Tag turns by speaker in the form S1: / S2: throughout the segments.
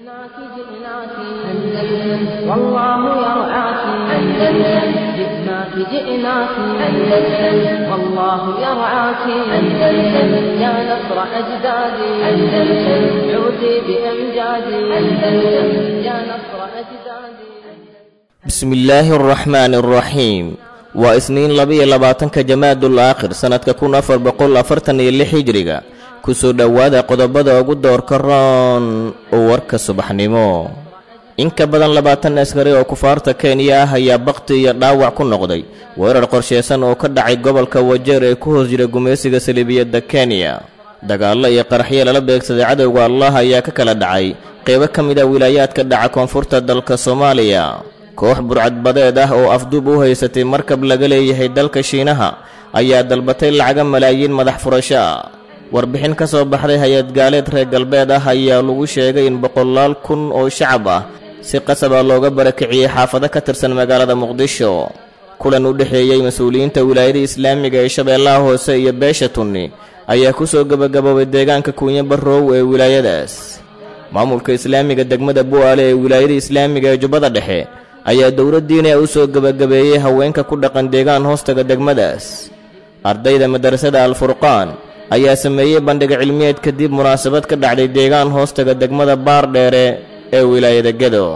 S1: جئناك جئناك أندلس والله يرعاك أندلس. جئناك جئناك أندلس والله يرعاك أندلس. يا نصر أجدادي أندلس عودي بأمجادي أندلس. يا نصر أجدادي.
S2: بسم الله الرحمن الرحيم. Waa Isniin, 22-ka Jamaadul Aakhir, sanadka 1446 hijriga. Kusoo dhowaada qodobada ugu doorka roon warka subaxnimo. In ka badan 20 askari oo kufaarta Kenya ah ayaa bakti iyo dhaawac ku noqday weerar qorsheysan oo ka dhacay gobolka Wajeer ee ku hoos jira gumaysiga saliibiyadda Kenya. Dagaallo iyo qaraxyo lala beegsaday cadowga Allah ayaa ka kala dhacay qeybo ka mid a wilaayaadka dhaca koonfurta dalka Soomaaliya. Koox burcadbadeed ah oo afduub u haysatay markab laga leeyahay dalka Shiinaha ayaa dalbatay lacaga malaayiin madax furasho ah. Warbixin ka soo baxday hay-ad gaaleed reer galbeed ah ayaa lagu sheegay in boqolaal kun oo shacab ah si qasaba looga barakiciyey xaafado ka tirsan magaalada Muqdisho. Kulan u dhexeeyey mas-uuliyiinta wilaayada islaamiga ee Shabeellaha Hoose iyo beesha Tunni ayaa ku soo gebagaboobay deegaanka Kuunyo Barrow ee wilaayadaas. Maamulka islaamiga degmada Bu'aale ee wilaayada islaamiga ee Jubbada Dhexe ayaa dowladdiina u soo gebagabeeyey haweenka ku dhaqan deegaan hoostaga degmadaas. Ardayda madarasada Alfurqaan ayaa sameeyey bandhig cilmiyeed kadib munaasabad ka dhacday deegaan hoostaga degmada Baardheere ee wilaayada Gedo.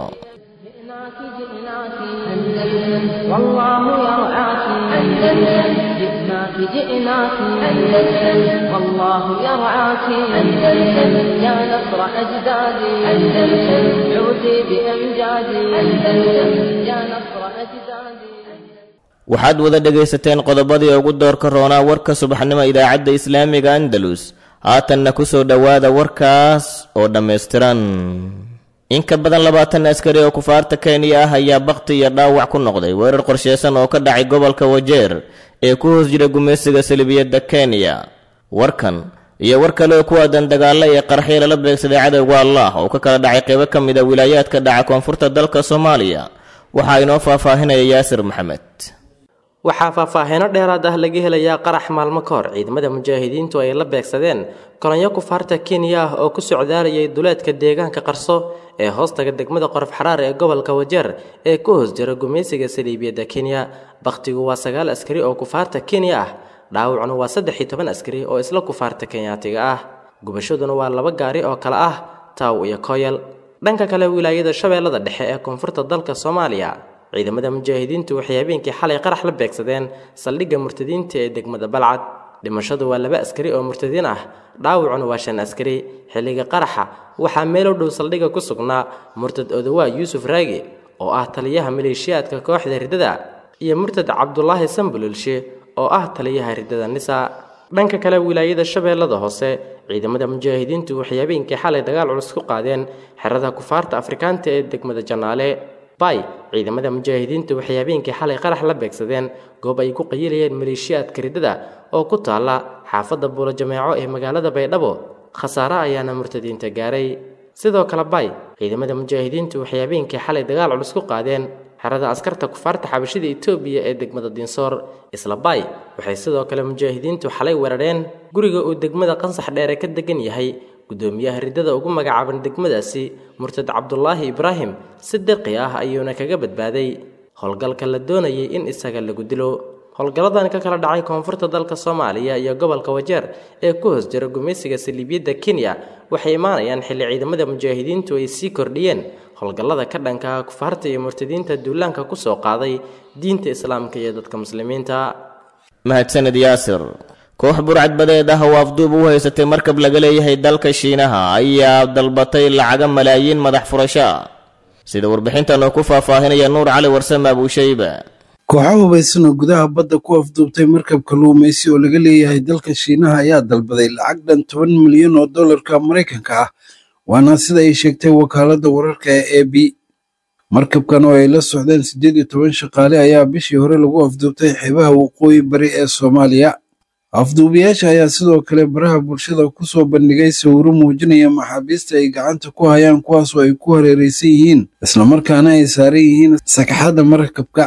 S1: جئناك جئناك أندلس والله يرعاك أندلس. جئناك جئناك أندلس والله يرعاك أندلس. يا نصر أجدادي أندلس عودي بأمجادي أندلس. يا نصر أجدادي.
S2: Waxaad wada dhegaysateen qodobadii ugu doorka roonaa warka subaxnimo idaacadda islaamiga Andalus. Haatanna ku soo dhowaada warkaas oo dhammaystiran. In ka badan 20 askari oo kufaarta Kenya ah ayaa bakti iyo dhaawac ku noqday weerar qorsheysan oo ka dhacay gobolka Wajeer ee ku hoos jira gumaysiga salibiyadda Kenya. Warkan iyo war kale oo ku aadan dagaalo iyo qaraxyo lala beegsaday cadowga Allah oo ka kala dhacay qeybo ka mid a wilaayaadka dhaca koonfurta dalka Soomaaliya waxaa inoo faahfaahinaya Yaasir Maxamed.
S3: Waxaa faahfaahiino dheeraad ah laga helayaa qarax maalmo ka hor ciidamada mujaahidiintu ay la beegsadeen kolonyo kufaarta Kenya ah oo ku socdaalayay duleedka deegaanka Qarso ee hoostaga degmada Qorof Xaraar ee gobolka Wajeer ee ku hoos jira gumaysiga saliibiyadda Kenya. Bakhtigu waa 9 askari oo kufaarta Kenya ah, dhaawacuna waa 13 askari oo isla kufaarta Kenyaatiga ah, gubashaduna waa 2 gaari oo kala ah Taaw iyo Koyal. Dhanka kale, wilaayada Shabeellada Dhexe ee koonfurta dalka Soomaaliya, ciidamada mujaahidiintu waxay habeenkii xalay qarax la beegsadeen saldhigga murtadiinta ee degmada Balcad. Dhimashadu waa 2 askari oo murtadiin ah, dhaawacuna waa 5 askari. Xilliga qaraxa waxaa meel u dhow saldhigga ku sugnaa murtad Odawaa Yuusuf Raagi oo ah taliyaha maleeshiyaadka kooxda riddada iyo murtad Cabdulaahi Sambululshe oo ah taliyaha riddada Nisa. Dhanka kale, wilaayada Shabeellada Hoose, ciidamada mujaahidiintu waxay habeenkii xalay dagaal culus ku qaadeen xerada kufaarta Afrikaanta ee degmada Janaale. Bay, ciidamada mujaahidiintu waxay habeenkii xalay qarax la beegsadeen goob ay ku qayilayeen maleeshiyaadka riddada oo ku taala xaafadda Buulo Jameeco ee magaalada Baydhabo. Khasaare ayaana murtadiinta gaaray. Sidoo kale bay, ciidamada mujaahidiintu waxay habeenkii xalay dagaal culus ku qaadeen xerada askarta kufaarta xabashida Itoobiya ee degmada Dinsoor. Isla bay, waxay sidoo kale mujaahidiintu xalay weerareen guriga uu degmada Qansax Dheere ka degan yahay gudoomiyaha riddada ugu magacaaban degmadaasi, murtad Cabdulaahi Ibraahim. Si dirqi ah ayuuna kaga badbaaday howlgalka la doonayay in isaga lagu dilo. Howlgalladan ka kala dhacay koonfurta dalka Soomaaliya iyo gobolka Wajeer ee ku hoos jira gumaysiga saliibiyadda Kenya waxay imaanayaan xilli ciidamada mujaahidiintu ay sii kordhiyeen howlgallada ka dhanka ah kufaarta iyo murtadiinta duulaanka ku soo qaaday diinta islaamka iyo dadka muslimiinta.
S2: Mahadsanid Yaasir. Koox burcadbadeed ah oo afduub u haysatay markab laga leeyahay dalka Shiinaha ayaa dalbatay lacaga malaayiin madax furasho ah, sida warbixintan oo ku faahfaahinaya Nuur Cali Warsame Abuushayba.
S4: Kooxo hubaysan oo gudaha badda ku afduubtay markab kalluumaysi oo laga leeyahay dalka Shiinaha ayaa dalbaday lacag dhan 10 milyan oo dollarka Maraykanka ah, waana sida ay sheegtay wakaaladda wararka ee AB. Markabkan oo ay la socdeen 18 shaqaale ayaa bishii hore lagu afduubtay xeebaha waqooyi bari ee Soomaaliya. Afduubiyaasha ayaa sidoo kale baraha bulshada ku soo bandhigay sawirro muujinaya maxaabiista ay gacanta ku hayaan, kuwaasoo ay ku hareeraysan yihiin islamarkaana ay saaran yihiin sagxadda markabka.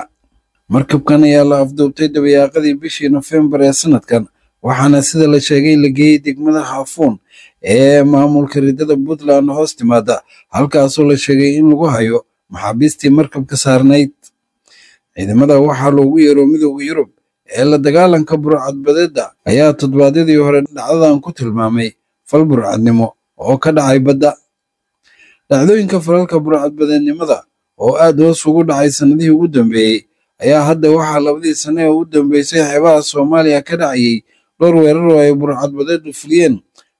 S4: Markabkan ayaa la afduubtay dabayaaqadii bishii Nofembar ee sanadkan, Waxaana sida la sheegay la geeyey degmada Xaafuun ee maamulka riddada Puntland hoos timaada, halkaasoo la sheegay in lagu hayo maxaabiistii markabka saarnayd. Ciidamada waxaa loogu yeero Midowda Yurub ee la dagaalanka burcadbadeedda ayaa toddobaadyadii hore dhacdadan ku tilmaamay fal burcadnimo oo ka dhacay badda. Dhacdooyinka falalka burcadbadeednimada oo aad hoos ugu dhacay sannadihii ugu dambeeyey ayaa hadda waxaa labadii sane ee u dambeysay xeebaha Soomaaliya ka dhacayay dhowr weerar oo ay burcadbadeedu fuliyeen.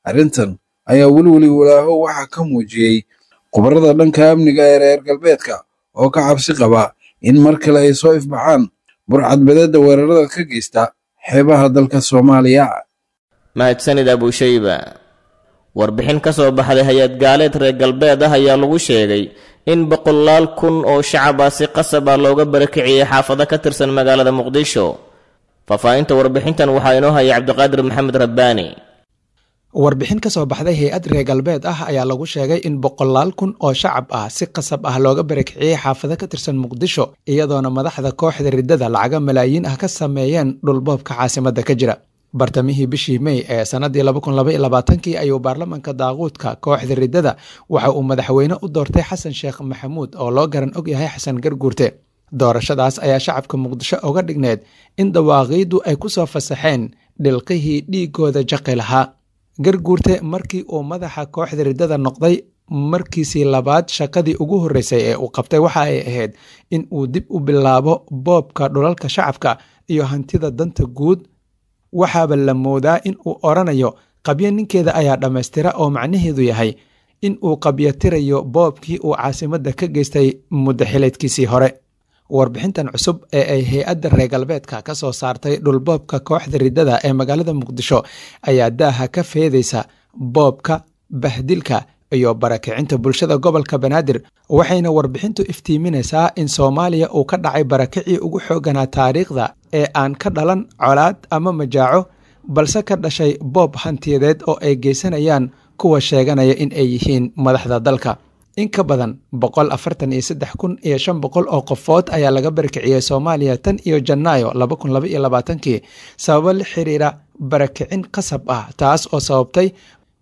S4: Arrintan ayaa welweli walaaho waxaa ka muujiyey khubarada dhanka amniga ee reer galbeedka oo ka cabsi qaba in mar kale ay soo ifbaxaan burcadbadeedda weerarada ka geysta xeebaha dalka Soomaaliya.
S2: Mahadsanid Abushayba. Warbixin ka soo baxday hay-ad gaaleed reer galbeed ah ayaa lagu sheegay in boqolaal kun oo shacab ah si qasab ah looga barakiciyey xaafado ka tirsan magaalada Muqdisho. Faahfaahinta warbixintan waxaa inoo haya Cabdiqaadir Maxamed Rabbaani.
S5: Warbixin ka soo baxday hay-ad reer galbeed ah ayaa lagu sheegay in boqolaal kun oo shacab ah si qasab ah looga barakiciyey xaafado ka tirsan Muqdisho, iyadoona madaxda kooxda riddada lacaga malaayiin ah ka sameeyeen dhulboobka caasimadda ka jira. Bartamihii bishii Mey ee sanadii 2022kii ayuu baarlamanka daaquudka kooxda riddada waxa uu madaxweyne u doortay Xasan Sheekh Maxamuud oo loo garan og yahay Xasan Garguurte. Doorashadaas ayaa shacabka Muqdisho uga dhigneed in dawaaqiiddu ay ku soo fasaxeen dhilqihii dhiigooda jaqi lahaa. Garguurte markii uu madaxa kooxda riddada noqday markiisii labaad, shaqadii ugu horreysay ee uu qabtay waxa ay ahayd in uu dib u bilaabo boobka dhulalka shacabka iyo hantida danta guud. Waxaaba la moodaa in uu odhanayo qabyo ninkeeda ayaa dhammaystira, oo macnaheedu yahay in uu qabyotirayo boobkii uu caasimadda ka geystay muddo xileedkiisii hore. Warbixintan cusub ee ay hay-adda reer galbeedka ka soo saartay dhulboobka kooxda riddada ee magaalada Muqdisho ayaa daaha ka feedaysa boobka, bahdilka iyo barakicinta bulshada gobolka Banaadir, waxayna warbixintu iftiiminaysaa in Soomaaliya uu ka dhacay barakicii ugu xooganaa taariikhda ee aan ka dhalan colaad ama majaaco, balse ka dhashay boob hantiyadeed oo ay geysanayaan kuwa sheeganaya in ay yihiin madaxda dalka. In ka badan 143,500 oo qofood ayaa laga barakiciyey Soomaaliya tan iyo Janaayo 2022kii sababo la xiriira barakicin qasab ah, taas oo sababtay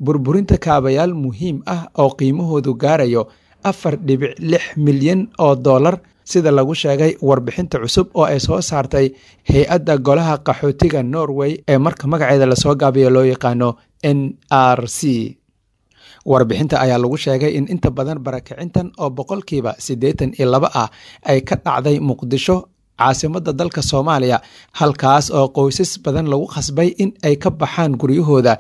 S5: burburinta kaabayaal muhiim ah oo qiimahoodu gaarayo 4.6 milyan oo dollar, sida lagu sheegay warbixinta cusub oo ay soo saartay hay-adda golaha qaxootiga Norway ee marka magaceeda lasoo gaabiyo loo yaqaano NRC. Warbixinta ayaa lagu sheegay in inta badan barakicintan oo 82% ah ay ka dhacday Muqdisho, caasimadda dalka Soomaaliya, halkaas oo qoysas badan lagu khasbay in ay ka baxaan guryahooda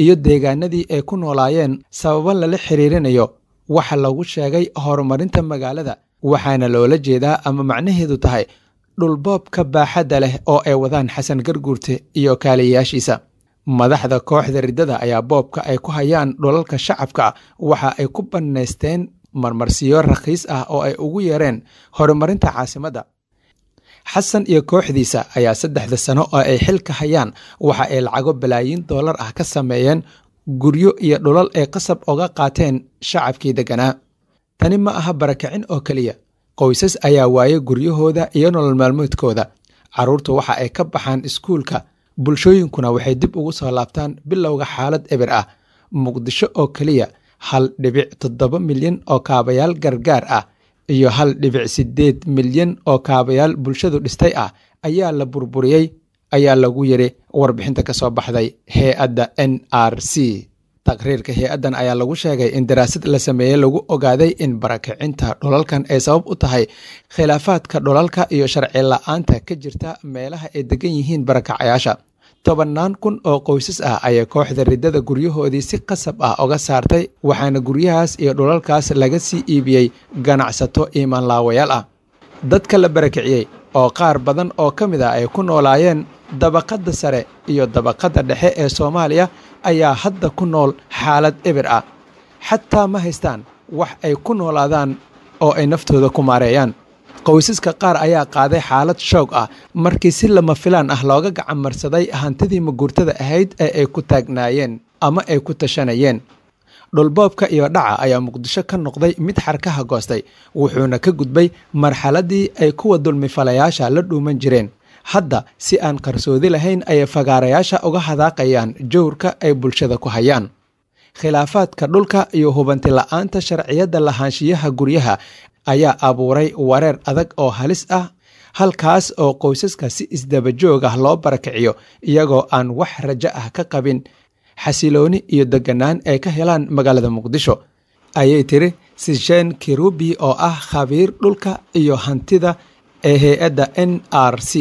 S5: iyo deegaanadii ay ku noolaayeen sababo lala xiriirinayo waxa lagu sheegay horumarinta magaalada, waxaana loola jeedaa ama macnaheedu tahay dhulboobka baaxadda leh oo ay wadaan Xasan Garguurte iyo kaaliyayaashiisa. Madaxda kooxda riddada ayaa boobka ay ku hayaan dhulalka shacabka waxa ay ku bannaysteen marmarsiyo rakhiis ah oo ay ugu yeereen horumarinta caasimadda. Xasan iyo kooxdiisa ayaa saddexda sano oo ay xilka hayaan waxa ay lacago balaayiin dollar ah ka sameeyeen guryo iyo dhulal ay qasab oga qaateen shacabkii degganaa. Tani ma aha barakicin oo keliya. Qoysas ayaa waayay guryahooda iyo nolol maalmoodkooda, carruurtu waxa ay ka baxaan iskuulka, bulshooyinkuna waxay dib ugu soo laabtaan bilowga xaalad eber ah. Muqdisho oo keliya, 1.7 milyan oo kaabayaal gargaar ah iyo 1.8 milyan oo kaabayaal bulshadu dhistay ah ayaa la burburiyey, ayaa lagu yiri warbixinta ka soo baxday hay-adda NRC. Taqriirka hay-addan ayaa lagu sheegay in daraasad la sameeyey lagu ogaaday in barakicinta dhulalkan ay sabab u tahay khilaafaadka dhulalka iyo sharci la-aanta ka jirta meelaha ay degan yihiin barakacayaasha. Tobannaan kun oo qoysas ah ayay kooxda riddada guryahoodii si qasab ah uga saartay, waxaana guryahaas iyo dhulalkaas laga sii iibiyey ganacsato iimaanlaawayaal ah. Dadka la barakiciyey oo qaar badan oo ka mid ah ay ku noolaayeen dabaqadda sare iyo dabaqadda dhexe ee Soomaaliya ayaa hadda ku nool xaalad eber ah, xataa ma haystaan wax ay ku noolaadaan oo ay naftooda ku maareeyaan. Qoysaska qaar ayaa qaaday xaalad shoog ah markii si lama filaan ah looga gacan marsaday hantidii maguurtada ahayd ee ay ku taagnaayeen ama ay ku tashanayeen. Dhulboobka iyo dhaca ayaa Muqdisho ka noqday mid xarkaha goostay, wuxuuna ka gudbay marxaladii ay kuwa dulmifalayaasha la dhuuman jireen. Hadda si aan qarsoodi lahayn ayay fagaarayaasha uga hadaaqayaan jawrka ay bulshada ku hayaan. Khilaafaadka dhulka iyo hubanti la'aanta sharciyadda lahaanshiyaha guryaha ayaa abuuray wareer adag oo halis ah, halkaas oo qoysaska si isdabajoog ah loo barakiciyo iyagoo aan wax rajo ah ka qabin xasilooni iyo deganaan ay ka helaan magaalada Muqdisho, ayay tiri Sishen Kirubi oo ah khabiir dhulka iyo hantida ee hay-adda NRC.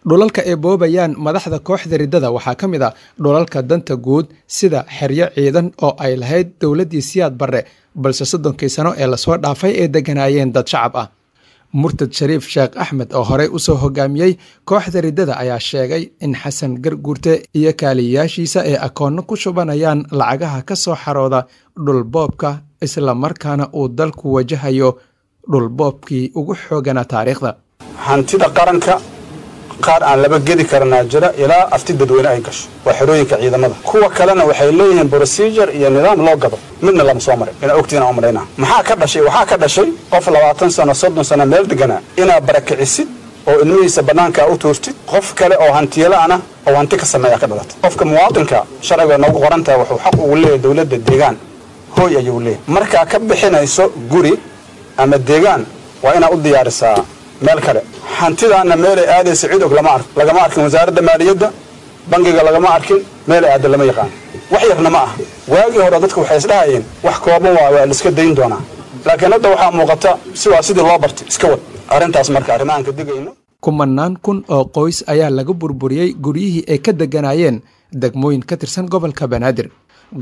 S5: Dhulalka ay boobayaan madaxda kooxda riddada waxaa ka mid a dhulalka danta guud sida xeryo ciidan oo ay lahayd dowladdii Siyaad Barre, balse 30kii sano ee lasoo dhaafay ay deganaayeen dad shacab ah. Murtad Shariif Sheekh Axmed oo horey usoo hogaamiyey kooxda riddada ayaa sheegay in Xasan Garguurte iyo kaaliyayaashiisa ay akoonno ku shubanayaan lacagaha ka soo xarooda dhulboobka, islamarkaana uu dalku wajahayo dhulboobkii ugu xooganaa taariikhda.
S6: Hantida qaranka qaar aan laba gedi karanaa jira ilaa afti dadweyne ay gasho, waa xerooyinka ciidamada. Kuwa kalena waxay leeyihiin procedure iyo nidaam loo gado, midna lama soo marin. Inaa ogtiin aan umalaynaa. Maxaa ka dhashay? Waxaa ka dhashay qof 20 sano, 30 sano meel deganaa inaad barakicisid oo ilmihiisa bannaankaa u tuurtid, qof kale oo hantiyala'ana oo hanti ka sameeya ka dhalatay. Qofka muwaadinka sharciga noogu qoran tahay wuxuu xaq ugu leeyahay dowladda deegaan, hooy ayuu leeyahay. Markaa ka bixinayso guri ama deegaan waa inaad u diyaarisaa meel kale. Hantidaana meelay aadaysa cid og lama ark, lagama arkin wasaaradda maaliyadda, bangiga lagama arkin, meelay aadda lama yaqaan. Wax yarna ma ah. Waagii hore dadku waxay isdhahayeen wax kooban waa laiska dayn doonaa, laakiin hadda waxaa muuqata si waa sidii loo bartay iska wad arrintaas. Marka arrimahaan ka digayno.
S5: Kumanaan kun oo qoys ayaa laga burburiyey guryihii ay ka deganaayeen degmooyin ka tirsan gobolka Banaadir.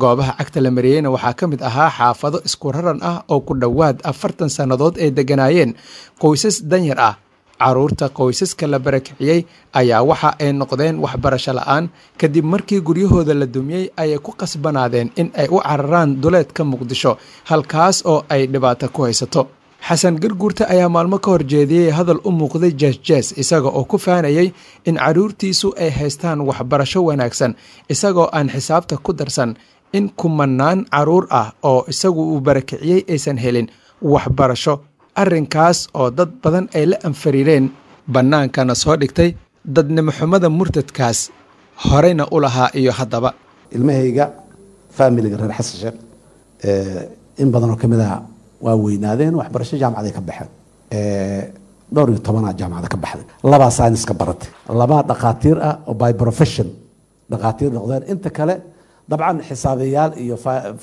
S5: Goobaha cagta la mariyeyna waxaa ka mid ahaa xaafado isku raran ah oo ku dhowaad 40 sannadood ay deganaayeen qoysas danyar ah. Carruurta qoysaska la barakiciyey ayaa waxa ay noqdeen waxbarasho la'aan kadib markii guryahooda la dumiyey ayay ku qasbanaadeen in ay u cararaan duleedka Muqdisho, halkaas oo ay dhibaato ku haysato. Xasan Garguurta ayaa maalmo ka hor jeediyey hadal u muuqday jees-jees, isaga oo ku faanayay in carruurtiisu ay haystaan waxbarasho wanaagsan, isagoo aan xisaabta ku darsan in kumanaan carruur ah oo isagu uu barakiciyey aysan helin waxbarasho, arrinkaas oo dad badan ay la anfariireen, bannaankana soo dhigtay dadnimo xumada murtadkaas horeyna u lahaa iyo haddaba.
S7: Ilmahayga, faamiliga reer Xasan Sheekh in badan oo ka mid ah waa weynaadeen, waxbarasho jaamacaday ka baxeen. Dhowr iyo tobanaa jaamacada ka baxday, labaa sayniska baratay, labaa dhakhaatiir ah oo by profession dhakhaatiir noqdeen. Inta kale dabcan xisaabiyaal iyo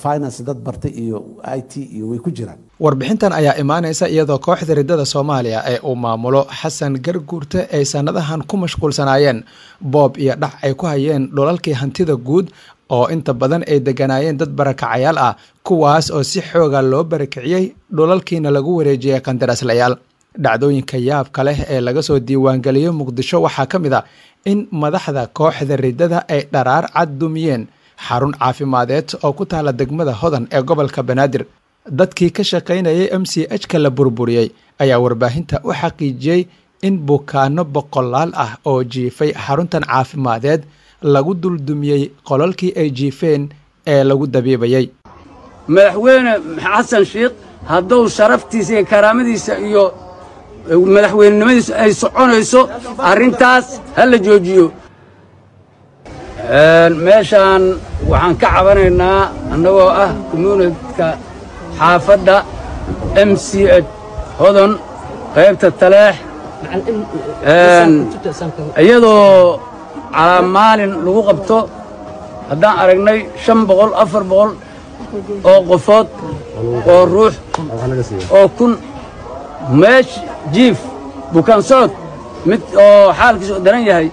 S7: finance dad bartay iyo IT iyo way ku jiraan.
S5: Warbixintan ayaa imaanaysa iyadoo kooxda riddada Soomaaliya ee uu maamulo Xasan Garguurte ay sannadahan ku mashquulsanaayeen boob iyo dhac ay ku hayeen dhulalkii hantida guud oo inta badan ay deganaayeen dad barakacayaal ah, kuwaas oo si xooga loo barakiciyey, dhulalkiina lagu wareejiyey qandaraaslayaal. Dhacdooyinka yaabka leh ee laga soo diiwaangeliyey Muqdisho waxaa ka mid a in madaxda kooxda riddada ay dharaar cad dumiyeen xarun caafimadeed oo ku taala degmada Hodan ee gobolka Banaadir. Dadkii ka shaqaynayay MCH ka la burburiyey ayaa warbaahinta u xaqiijiyey in bukaano boqolaal ah oo jiifay xaruntan caafimadeed lagu duldumiyey qolalkii ay jiifeen ee lagu dabiibayey.
S8: Madaxweyne Xasan Sheikh hadduu sharaftiisa iyo karaamadiisa iyo madaxweynenimadiisu ay soconayso, arrintaas ha la joojiyo. Meeshaan waxaan ka cabanaynaa annagoo ah communityka xaafadda MCH Hodon qaybta Taleex, iyadoo calaa maalin lagu qabto haddaan aragnay 500, 400 oo qofood oo ruux oo kun meesh jiif bukaan socod mid oo xaalkiisu daran yahay,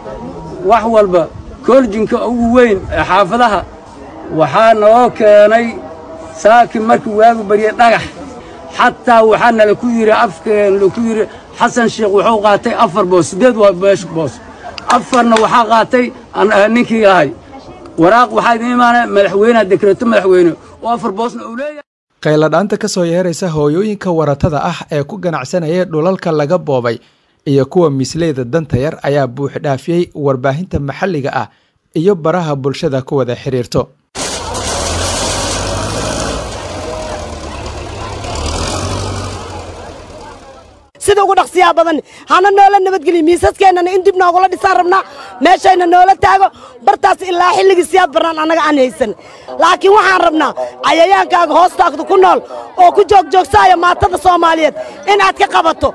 S8: wax walba koorjinka ugu weyn ee xaafadaha waxaa naloo keenay saaki markii waagu baryey dhagax. Xataa waxaa nala ku yidhi, afkeen ku yidhi, Xasan Sheekh wuxuu qaatay 4 boos, 8 waa meesh boos, 4na waxaa qaatay ninkii ahay. Waraaq waxaa idin imaanaya madaxweyneha, dekreeto madaxweyne oo 4 boosna uu leeyahay.
S5: Qayladhaanta ka soo yeeraysa hooyooyinka waratada ah ee ku ganacsanaya dhulalka laga boobay iyo kuwa misleyda danta yar ayaa buux dhaafiyey warbaahinta maxalliga ah iyo baraha bulshada ku wada xiriirto.
S9: Sida ugu dhaqsiyaa badan hana noola nabadgeliyo. Miisaskeenana in dib noogula dhisaan rabnaa, meeshayna noola taago bartaas ilaa xilligii Siyaad Barnaan annaga aan haysan. Laakiin waxaan rabnaa cayayaankaaga hoostaagda ku nool oo ku joogjoogsaaya maatada Soomaaliyeed in aad ka qabato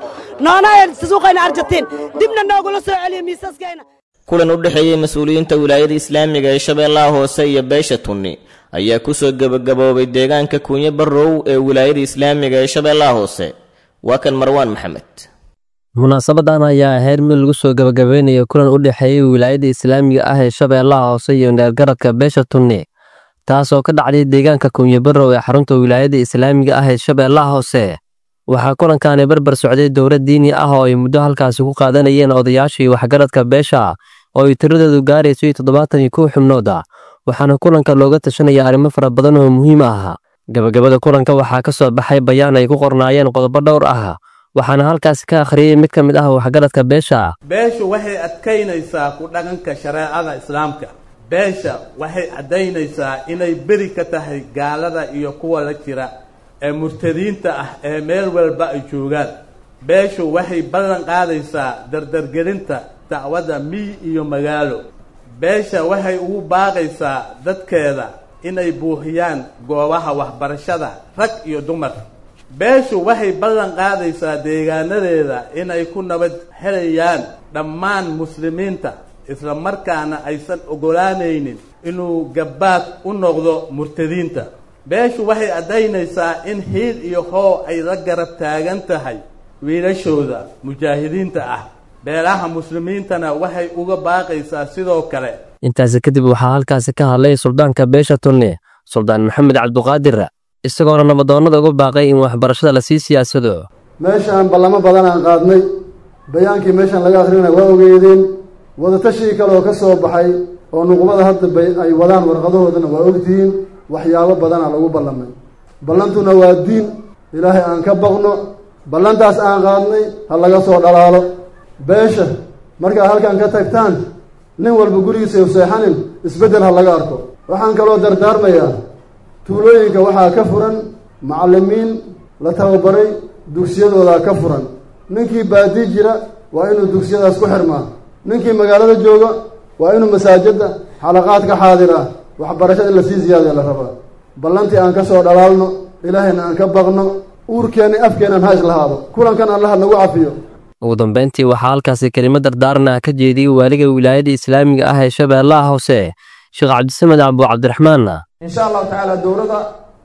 S9: noona suuqayna Argentiin dibna noogula soo celiyo miisaskeena.
S2: Kulan u dhexeeyey mas-uuliyiinta wilaayada islaamiga ee Shabeellaha Hoose iyo beesha Tunni ayaa kusoo gebagaboobay deegaanka Kuunye Barrow ee wilaayada islaamiga ee Shabeellaha Hoose. Waa kan Marwaan Maxamed.
S10: Munaasabadan ayaa ahayd mid lagu soo gabagabeynayo kulan u dhexeeyey wilaayada islaamiga ah ee Shabeellaha Hoose iyo neergaradka beesha Tunni, taasoo ka dhacday deegaanka Kuunye Barrow ee xarunta wilaayada islaamiga ah ee Shabeellaha Hoose. Waxaa kulankaani barbar socday dowlad diini ah oo ay muddo halkaasi ku qaadanayeen odayaashii waxgaradka beesha oo ay tiradoodu gaarayso 71 xubnood ah, waxaana kulanka looga tashanaya arrimo fara badan oo muhiim ah. Gabagabada kulanka waxaa ka soo baxay bayaan ay ku qornaayeen qodobo dhowr ah, waxaana halkaasi ka akhriyey mid ka mid ah waxgaradka beesha.
S11: Beeshu waxay adkaynaysaa ku dhaqanka shareecada islaamka. Beesha waxay caddaynaysaa inay beri ka tahay gaalada iyo kuwa la jira ee murtadiinta ah ee meel walba ay joogaan. Beeshu waxay ballan qaadaysaa dardargelinta dacwadda miyi iyo magaalo. Beesha waxay ugu baaqaysaa dadkeeda inay buuxiyaan goobaha waxbarashada rag iyo dumar. Beeshu waxay ballan qaadaysaa deegaanadeeda inay ku nabad helayaan dhammaan muslimiinta, isla markaana aysan oggolaanaynin inuu gabbaad u noqdo murtadiinta. Beeshu waxay caddaynaysaa in hiil iyo hoo ay la garab taagan tahay wiilashooda mujaahidiinta ah. Beelaha muslimiintana waxay uga baaqaysaa sidoo kale.
S10: Intaasi kadib waxaa halkaasi ka hadlay suldaanka beesha Tunni, Suldaan Maxamed Cabduqaadir, isagoona nabadoonnada uga baaqay in waxbarashada lasii siyaasado.
S12: Meeshaan ballamo badan aan qaadnay, bayaankii meeshaan laga akrinaya waa ogeydeen, wadatashiii kale oo ka soo baxay oo nuqubada hadda bay ay wadaan warqadahoodana waa ogtihiin. Waxyaabo badanaa lagu ballamay, ballantuna waa diin. Ilaahay aan ka baqno, ballantaas aan qaadnay ha laga soo dhalaalo. Beesha markaad halkan ka tagtaan, nin walba gurigiisa u seexanin, isbeddel ha laga arko. Waxaan kaloo dardaarmayaa, tuulooyinka waxaa ka furan macallimiin la tababaray, dugsiyadoodaa ka furan. Ninkii baadii jira waa inuu dugsiyadaas ku xirmaa, ninkii magaalada jooga waa inuu masaajidda xalaqaad ka xaadiraa. Waxbarashada in lasii ziyaadaya la rabaa. Ballantii aan ka soo dhalaalno, ilaahayna aan ka baqno, uurkeenna afkeennan ha islahaado, kulankan allaha nagu cafiyo.
S10: Ugu dambeyntii waxaa halkaasi kelimo dardaaran ah ka jeediyey waaliga wilaayada islaamiga ah ee Shabeellaha Hoose, Sheekh Cabdisamed Abu Cabdiraxmaan.
S13: Insha Allahu tacaala dowladda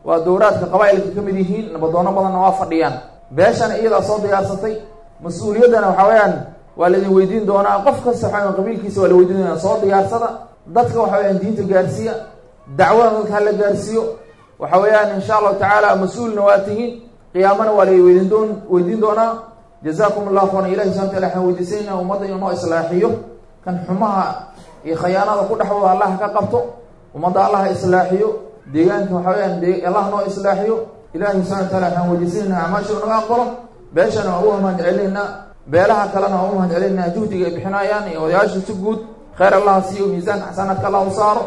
S13: waa dowraadka qabaa'ilka ka mid yihiin, nabadoono badanna waa fadhiyaan. Beeshana iyadaa soo diyaarsatay, mas-uuliyaddana waxaa weeyaan waa laidin weydiin doonaa. Qof kasta waxaa qabiilkiisa waa la weydiin doonaa. Soo diyaarsada dadka, waxa weyaan diinta gaarsiiya, dacwada dadka hala gaarsiiyo. Waxa weeyaan insha Allahu tacaala mas-uulna waa tihiin, qiyaamana waa la weydiin doonaa. Jazaakum allahu khayran. Ilahi subxana wataala waxaan weydiisanayna ummadda inuu noo islaaxiyo, kan xumaha iyo khayaanada ku dhexwada allah ka qabto, ummadda allah islaaxiyo, deegaanka waxa weyaan allah noo islaaxiyo. Ilahi subxana wataala waxaan weydiisanaynaa acmaasha naga aqbalo. Beeshana waa ugu mahad celinaynaa, beelaha kalena waa ugu mahad celinaynaa juhdiga ay bixinayaan iyo odayaasha si guud. Khayr allah siiyo, miisaanka xasanaadka allah u saaro.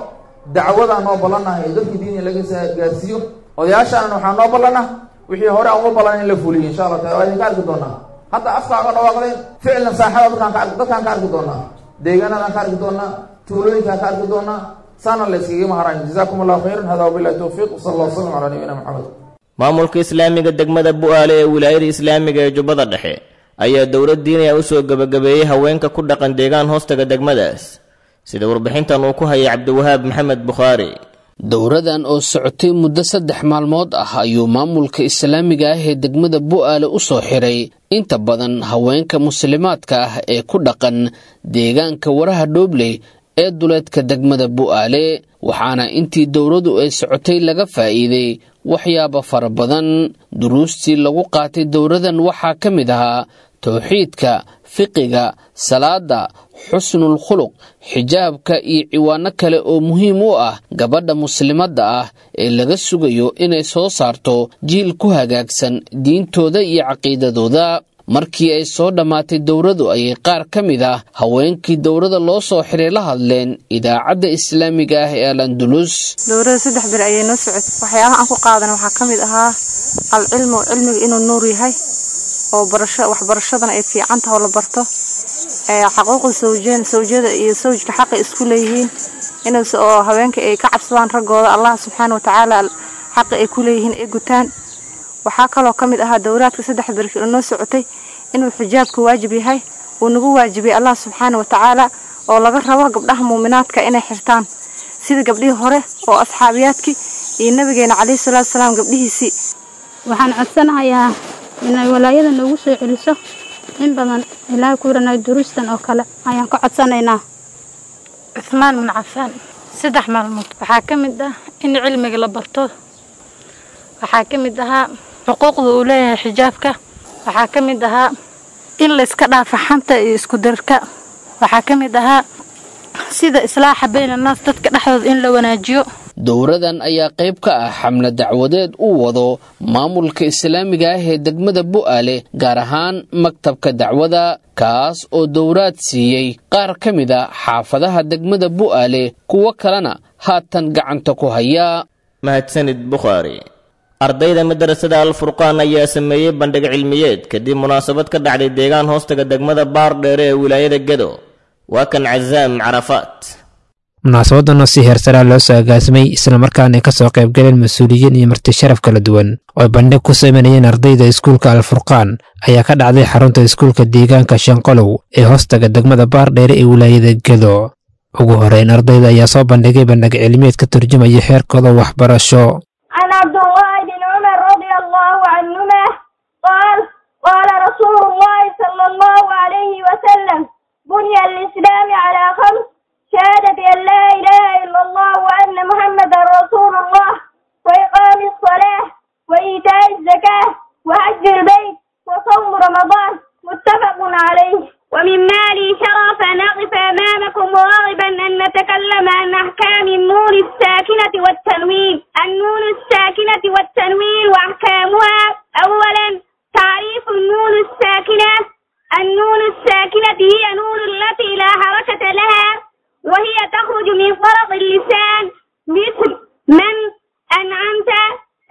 S13: Dacwadaa noo ballanah ee dadka diiniya laga gaarsiiyo. Odayaashaana waxaa noo ballanah wixii hore aan uga ballan in la fuliyo insha Allah taala. Waa idinka arki doonaa hadda afkaaga dhawaaqdeen, ficlan saaxada dadkaan ka arki doonaa, deegaanadaan ka arki doonaa, tuulooyinkaan ka arki doonaa, saana la iskaga maharayn. Jazaakum allahu khayran. Hada wabillahi towfiiq, wasala allah wasalam calaa nabiyina Maxamed.
S2: Maamulka islaamiga degmada Bu'aale ee wilaayada islaamiga ee Jubbada Dhexe ayaa dowlad diinaya u soo gebagabeeyey haweenka ku dhaqan deegaan hoostaga degmadaas, sida warbixintan uu ku hayay Cabdiwahaab Maxamed Bukhaari.
S14: Dowradan oo socotay muddo 3 maalmood ah ayuu maamulka islaamiga ah ee degmada Bu'aale u soo xiray inta badan haweenka muslimaadka ah ee ku dhaqan deegaanka Waraha Dhoobley ee duleedka degmada Bu'aale. Waxaana intii dowradu ay socotay laga faa'iiday waxyaabo fara badan. Duruustii lagu qaatay dowradan waxaa ka mid ahaa towxiidka, fiqiga, salaada, xusnul khuluq, xijaabka iyo ciwaano kale oo muhiim u ah gabadha muslimadda ah ee laga sugayo inay soo saarto jiil ku hagaagsan diintooda iyo caqiidadooda. Markii ay soo dhammaatay dowradu ayay qaar ka mid ah haweenkii dowrada loo soo xiray la hadleen idaacadda islaamiga ah ee Al-Andalus.
S15: Dowrada 3 bir ayay noo socotay. Waxyaabaha aan ku qaadana waxaa ka mid ahaa alcilmu, cilmiga inuu nuur yahay Oo barasho waxbarashadana ay fiican tahay oo la barto xaquuqda sawjeen sawjada iyo sawjka xaqa isku leeyihiin inay oo haweenka ay ka cabsadaan raggooda Allah subxaanahu wa tacaala xaqa ay ku leeyihiin ay gutaan. Waxaa kaloo ka mid ahaa dowraadka 3 beri oo noo socotay inuu xijaabku waajib yahay uu nagu waajibiyay Allah subxaanahu wa tacaala oo laga rabo gabdhaha muuminaadka inay xirtaan sida gabdhihii hore oo asxaabiyaadkii iyo nabigeena calayhi salaatu wasalaam gabdhihiisii.
S16: Waxaan codsanayaa inay walaayada noogu soo celiso in badan ilaa kuranay duruustan oo kale ayaan ka codsanaynaa.
S17: Cuthmaan bin Cafaan 3 maalmood waxaa ka mid ah in cilmiga la barto, waxaa ka mid ahaa xuquuqda uu leeyahay xijaabka, waxaa ka mid ahaa in la iska dhaafo xanta iyo isku darka, waxaa ka mid ahaa sida islaaxa bayna naas dadka dhexdooda in la wanaajiyo.
S14: Dowradan ayaa qayb ka ah xamle dacwadeed uu wado maamulka islaamiga ah ee degmada Bu'aale, gaar ahaan maktabka dacwada, kaas oo dowraad siiyey qaar ka mid a xaafadaha degmada Bu'aale, kuwo kalena haatan gacanta ku haya.
S2: Mahadsanid Bukhaari. Ardayda madarasada Al-Furqaan ayaa sameeyey bandhig cilmiyeed kadib munaasabad ka dhacday deegaan hoostaga degmada Baardheere ee wilaayada Gedo. Waa kan Cazaam Carafaat.
S18: Munaasabadan si heersaraa loo soo agaasimay islamarkaana ka soo qaybgaleen mas-uuliyiin iyo marti sharaf kala duwan oo bandhig ku sameynayeen ardayda iskuulka Al-Furqaan ayaa ka dhacday xarunta iskuulka deegaanka Shanqolow ee hoostaga degmada Baardheere ee wilaayada Gedo. Ugu horeyn ardayda ayaa soo bandhigay bandhig cilmiyeed ka turjumaya heerkooda waxbarasho.
S19: عن عبد الله بن عمر رضي الله عنهما قال قال رسول الله صلى الله عليه وسلم بني الإسلام على 5: شهادة أن لا إله إلا الله وأن محمدا رسول الله، وإقام الصلاة، وإيتاء الزكاة، وحج البيت، وصوم رمضان. متفق عليه. ومما لي شرف أن أقف أمامكم راغبا أن نتكلم عن أحكام النون الساكنة والتنوين. النون الساكنة والتنوين وأحكامها. أولا، تعريف النون الساكنة. النون الساكنة هي نون التي لا حركة لها، وهي تخرج من طرف اللسان مثل من، أنعمت.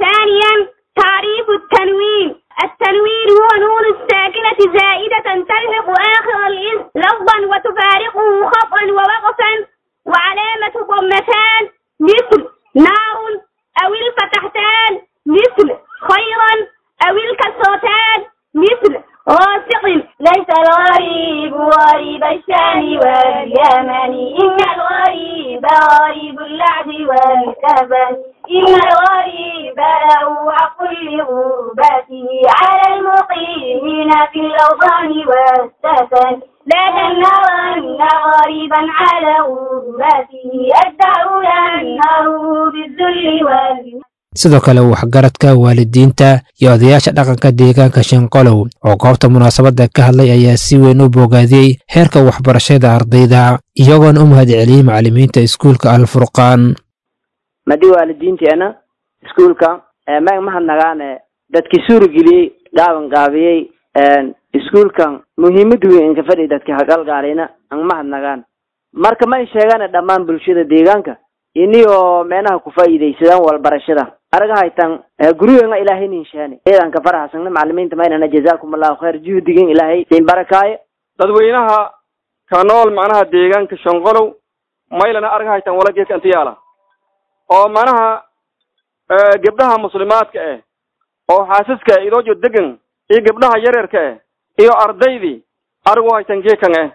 S19: ثانيا، تعريف التنوين. التنوين هو نون الساكنة زائدة تلحق آخر الاسم لفظا وتفارقه خطأ ووقفا، وعلامة ضمتان مثل نار، أو الفتحتان مثل خيرا، أو الكسرتان مثل غاسق. ليس الغريب غريب الشام واليمن، إن الغريب غريب اللعب والكفن، إن الغريب له حق لغربته على المقيمين في الأوطان والسكن، لا تنهرن غريبا على غربته، الدهر ينهره بالذل وال.
S18: Sidoo kale waxgaradka waalidiinta iyo odayaasha dhaqanka deegaanka Shanqolow oo goobta munaasabadda ka hadlay ayaa si weyn u bogaadiyey heerka waxbarashada ardayda, iyagoona u mahadceliyey macallimiinta iskuulka Al-Furqaan.
S20: Madi waalidiinteena iskuulka mag mahadnagaane dadkii suurageliyey gaaban gaabiyey iskuulkan muhiimad weyn inka fadhi dadkii hagalgaalayna ang mahadnagaan. Marka ma sheegana dhammaan bulshada deegaanka iniyoo meenaha ku faa'iidaysadaan walbarashada araga haytan gurigeenga ilaahay nin sheene eedanka faraxsan macallimiinta maynana jazaakum allahu khayr juhdigin ilaahay siin barakaaye.
S21: Dadweynaha ka nool macnaha deegaanka Shanqolow maylana araga haytan wala geedka inta yaala oo macnaha gabdhaha muslimaadka eh oo xaasaska idoojo degan iyo gabdhaha yaryarka eh iyo ardaydii aragu haytan geedkan eh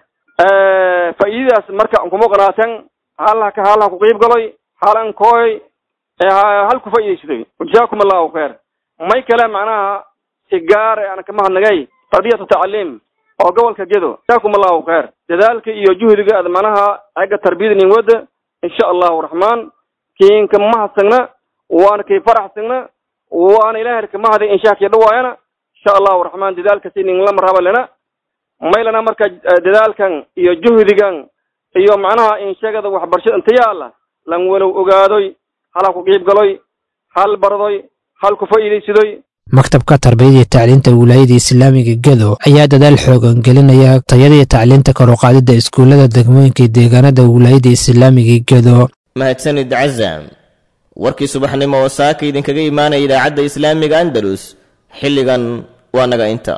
S21: faa'iidadaas marka kuma qanaatan halka halka ku qayb galay halan kooy hal ku faa'iideystay jazaakum allahu khayr. May kale macnaha si gaar ah ana kama hadnagay tarbiyatu tacliim oo gobolka Gedo jazaakum allahu khayr dadaalka iyo juhdiga aad macnaha xagga tarbiyada nin wada insha Allahu raxmaan kiinka mahadsanna waana kay faraxsanna waana ilaahay ka mahadi insha Allah dhawaayana insha Allahu raxmaan dadaalka si nin la marhaba lana maylana marka dadaalkan iyo juhdigan iyo macnaha in sheegada waxbarashada inta yaala lan walow ogaadoy hala ku qayb galoy hal bardoy hal ku faa'iideysadoy.
S18: Maktabka tarbiyada iyo tacliinta wilaayada islaamiga Gedo ayaa dadaal xoogan gelinaya tayada iyo tacliinta kor u qaadida iskuulada degmooyinka iyo deegaanada wilaayada islaamiga Gedo.
S2: Mahadsanid Cazaam. Warkii subaxnimo oo saaka idinkaga imaanaya idaacadda islaamiga Andalus xilligan waa naga inta.